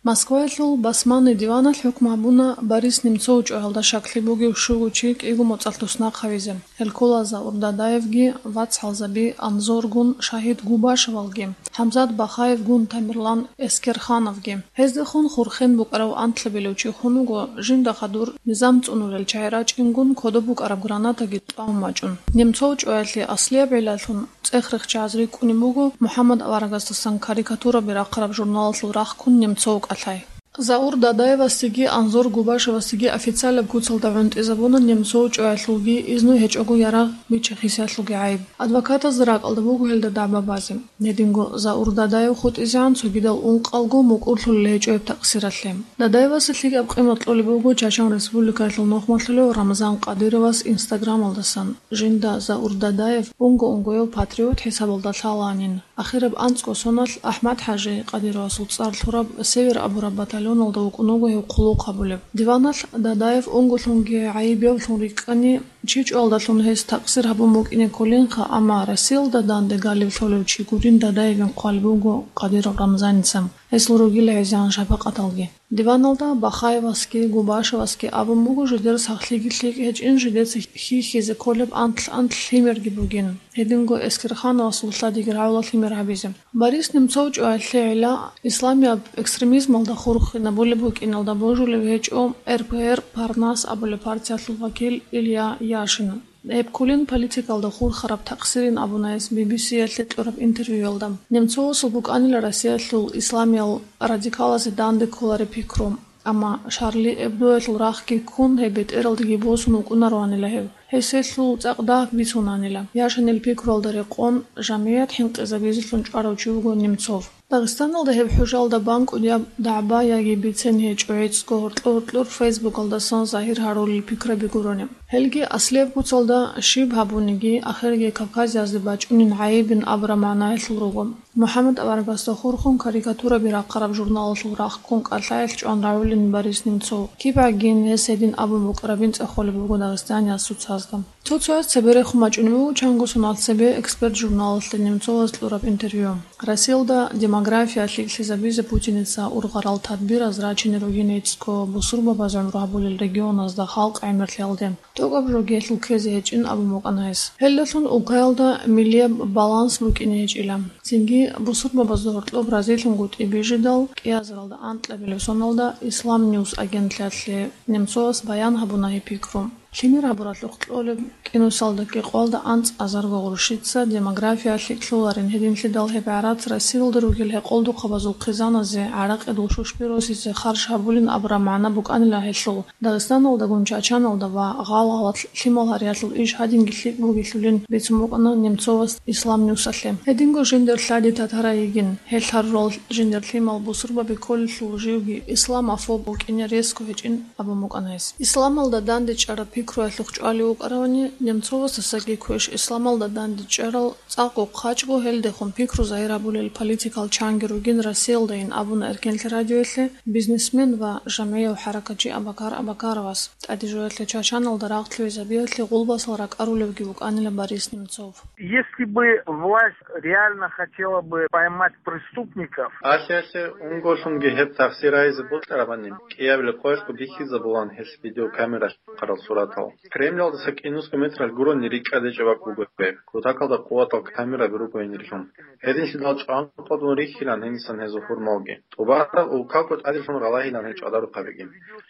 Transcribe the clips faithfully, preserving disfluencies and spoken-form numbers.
Москваялъул басманный диваналъ хӀукму гьабуна Борис Немцов чӀваялда щаклъи бугев щуго чи кӀиго моцӀалъ туснахъ гьавизе. Гьел ккола Заур Дадаевги, вацгӀалзаби Анзоргун Шагьид Губашевалги, ХӀамзат Бахаевгун Тамерлан Эскерхановги. Гьездехун хурхен букӀарав анлъабилев чи хун вуго, жинда хадур низам цӀунулел чагӀи рачӀингун кодоб букӀараб гранатаги тӀамун бачӀун. Немцов чӀваялъе аслияб гӀиллалъун цӀех-рехчаз рикӀкӀунеб буго МухӀаммад аварагасдасан карикатураби рахъараб журналалъул рахъ ккун Немцов кӀалъай. Заур Дадаевасдеги Анзор Губашевасдеги официалаб куцалда гӀунтӀизабуна Немцов чӀваялъулги изну гьечӀого ярагъ бичи-хисиялъулги гӀайиб. Адвокатазда ракӀалда буго гьелда дагӀба базе. Гьединго Заур Дадаев хутӀизегӀан цогидал ункъалго мукӀурлъулел гьечӀо гьеб такъсиралъе. Дадаевасе лъикӀаб къимат кьолеб буго Чачан Республикаялъул нухмалъулев Рамзан Къадировас Инстаграмалдасан, жинда Заур Дадаев унго-унгояв патриот хӀисабалда лъалаанин. Ахираб анцӀго соналъ АхӀмад-ХӀажи Къадировасул цӀар лъураб Север абураб батальоналда вукӀун вуго гьев хъулухъ гьабулеб. Диваналъ Дадаев унголъунги гӀайибявлъун рикӀкӀани, чи чӀвалдалъун гьес такъсир гьабун букӀине кколинха, амма Россиялда данде галеб лъолев чи гурин Дадаевин хъвалеб буго Къадиров Рамзаница, гьесул ругила гӀезегӀан шапакъаталги. Диваналда Бахаевасги Губашевасги абун буго жидер сахлъиги лъикӀ гьечӀин, жидеца хьихьизе кколеб анлъ-анлъ лъимерги бугин. Гьединго Эскерхановасул лъадиги рагӀула лъимер гьабизе. Борис Немцов чӀваялъе гӀилла исламияб экстремизмалда хурхинабулеб букӀиналда божулев гьечӀо РПР Парнас абулеб партиялъул вакил Илья Яшин. Гьеб кколин политикалда хурхараб такъсирин абуна гьес Би Би Си-ялъе кьураб интервьюялда. Немцовасул букӀанила Россиялъул исламиял радикалазе данде кколареб пикру. Амма Шарли Эбдоялъул рахъги ккун, гьеб бетӀералдеги босун вукӀунароанила гьев. Гьес гьелъул цӀакъ дагь бицунанила. Яшинил пикруялда рекъон, жамигӀат хӀинкъизабизелъун чӀварав чи вуго Немцов. Дагъистаналда гьеб хӀужалда бан кӀудияб дагӀба яги бицен гьечӀо гӀицӀго гьоркьор-гьоркьор Фейсбукалдасан загьир гьарулел пикраби гурони. Гьелги аслияб куцалда щиб гьабуниги, ахирги Кавказиязде бачӀунин гӀайибин абураб магӀнаялъул руго. МухӀаммад аварагасда хурхун карикатураби рахъараб журналалъул рахъ ккун кӀалъаялъ чӀван рагӀулин Борис Немцов. КибгӀагин гьес гьедин абун букӀарабин цӀехолеб буго дагъистанияс цоцазда. Цо-цояс цебе рехун бачӀунеб буго чанго соналъ цебе «Эксперт» журналалъе Немцовас кьураб интервью. Россиялда демография лъикӀлъизабизе Путиница ургъарал тадбираз рачине ругин гӀицӀго бусурбабаз гӀумру гьабулел регионазда халкъ гӀемерлъиялде. ТӀокӀаб жо гьелъул ккезе гьечӀин абун букӀана гьес. Гьелдалъун улкаялда миллияб баланс букӀине гьечӀила. Цинги бусурбабазда гьоркьоб разилъунгутӀи бижидал, кӀиазаралда анкьабилеб соналда Ислам Ньюс агентлъиялъе Немцовас баян гьабуна гьеб пикру. Лъимер гьабуралъухъ кьолеб кӀинусалда кӀикъоялда анцӀазарго гъурщица демография лъикӀлъуларин, гьединлъидал гьеб гӀарац Россиялда ругел гьекъолдухъабазул хъизаназе гӀаракъидул щущби росизе харж гьабулин абураб магӀна букӀанила гьелъул. Дагъистаналдагун Чачаналда ва гъал-гъалалъ лъимал гьариялъул иш гьадинги лъикӀ бугелъулин бицун букӀана Немцовас Ислам Ньюсалъе. Гьединго жиндер лъади татарай йигин, гьел гьарурал жиндер лъимал бусурбаби кколелъул живги исламофоб букӀине ресго гьечӀин абун букӀана гьес. Исламалда дандечӀараб пикруялъухъ чӀвалев вукӀаравани, Немцовасдасаги квеш исламалда дандечӀарал цӀакъго хъачӀго гьелдехун пикру загьир гьабулел политикал чанги ругин Россиялдайин абуна Эркенлъи радиоялъе бизнесмен ва жамгӀияв хӀаракатчи Абакар Абакаровас. ТӀаде жоялъе Чачаналда рагъ лъугӀизабиялъе гъулбасал ракӀарулевги вукӀанила Борис Немцов. Если бы власть реально хотела бы поймать преступников, Алъ-алъе унголъунги гьеб такъсир гьайзе бокьарабани, кӀиабилеб къоялъго бихьизабулан гьелъ видеокамера лъухъарал суратал. Кремлалдаса кӀинусго метралъ гурони рикӀкӀад гьечӀеб бакӀ буго гьеб. Кутакалда къуватал камераби руго гьенирлъун. Гьединлъидал чӀванкъотӀун рихьилан гьенисан гьезул хурмалги. ТӀубараб улкаго тӀаделъун ралагьилан гьел чӀвадарухъабиги.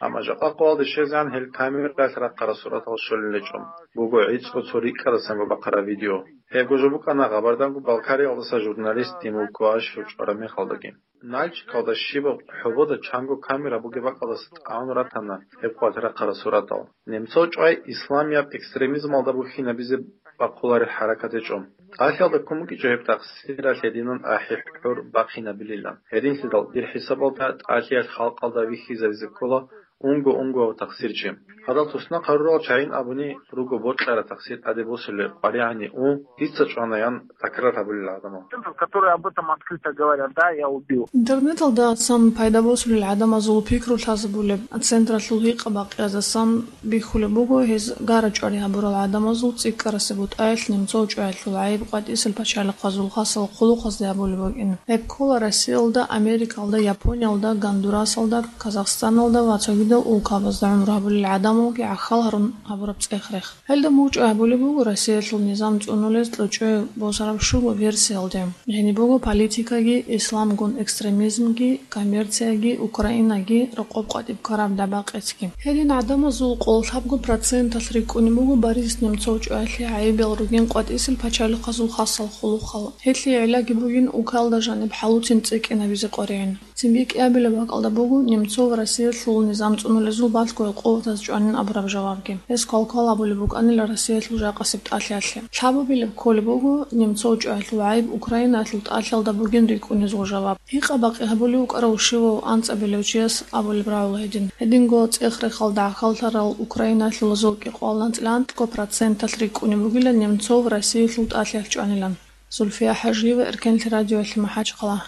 Амма жакъа къоялде щвезегӀан гьел камералъ рахъарал суратал щолел гьечӀо. Буго гӀицӀго цо рикӀкӀадасанго бахъараб видео. Гьебго жо букӀана Гъабарданго-Балкариялдаса журналист Тимур Куашев чӀвараб мехалдаги. Нальчикалда щибаб хӀобода чанго камера бугеб бакӀалдаса тӀамун ратана гьеб къоялъ рахъарал суратал. Немцов чӀвай исламияб экстремизмалда бухьинабизе бахъуларел хӀаракат гьечӀо. ТӀалъиялда ккун букӀичӀо гьеб такъсиралъ гьединан ахӀи-хӀур бахъинабилилан. Гьединлъидал дир хӀисабалда тӀалъиялъ халкъалда вихьизабизе ккола Унго-унго такъсирчи. Гьадал туснахъ гьарурал чагӀи абуни руго бокьараб такъсир тӀаде босулеб къваригӀани у, дица чӀванаян такрар гьабулел гӀадамал. Который об этом открыто говорят, да, я убил. Интернеталдасан пайда босулел гӀадамазул пикру лъазабулеб централъул гьикъа-бакъиязасан бихьулеб буго гьез гара-чӀвари гьабурал гӀадамазул цӀикӀкӀарасе бутӀаялъ немцов чӀваялъул гӀайиб къватӀисел пачалихъазул хасал хъулухъазде гьабулеб букӀин. Гьеб ккола Россиялда, Америкалда, Япониялда, Гондурасалда, Казахстаналда ва цогидал улкабазда гӀумру гьабулел гӀадамалги гӀахьал гьарун гьабураб цӀех-рех. Гьелда мугъчӀвай гьабулеб буго Россиялъул низам цӀунулез кьучӀой босараб щуго версиялде. Гьениб буго политикаги, исламгун экстремизмги, коммерцияги, Украинаги, рокъоб къватӀиб ккараб дабагъ-къецги. Гьедин гӀадамазул къоло лъабго проценталъ рикӀкӀунеб буго Борис Немцов чӀваялъе гӀайибал ругин къватӀисел пачалихъазул хасал хъулухъал. Гьелъие гӀиллаги бугин укалда жаниб хӀалуцин цӀикӀкӀинабизе къваригӀин. Цинги кӀиабилеб бакӀалда буго Немцов Россиялъул низам цӀунулезул балъго гӀукъубатаз чӀванин абураб жавабги. Гьес квалквал абулеб букӀанила Россиялъул жакъасеб тӀалъиялъе. Лъабабилеб кколеб буго Немцов чӀваялъул гӀайиб Украинаялъул тӀалъиялда бугин рикӀкӀунезул жаваб. Гьикъа-бакъи гьабулев вукӀарав щивав анцӀабилев чияс абулеб рагӀула гьедин. Гьединго цӀех-рехалда гӀахьаллъарал украиналъулазул кӀикъоялда анцӀила анкьго проценталъ рикӀкӀунеб бугила Немцов Россиялъул тӀалъиялъ чӀванилан. Зульфия ХӀажиева, Эркенлъи радиоялъе МахӀачхъала.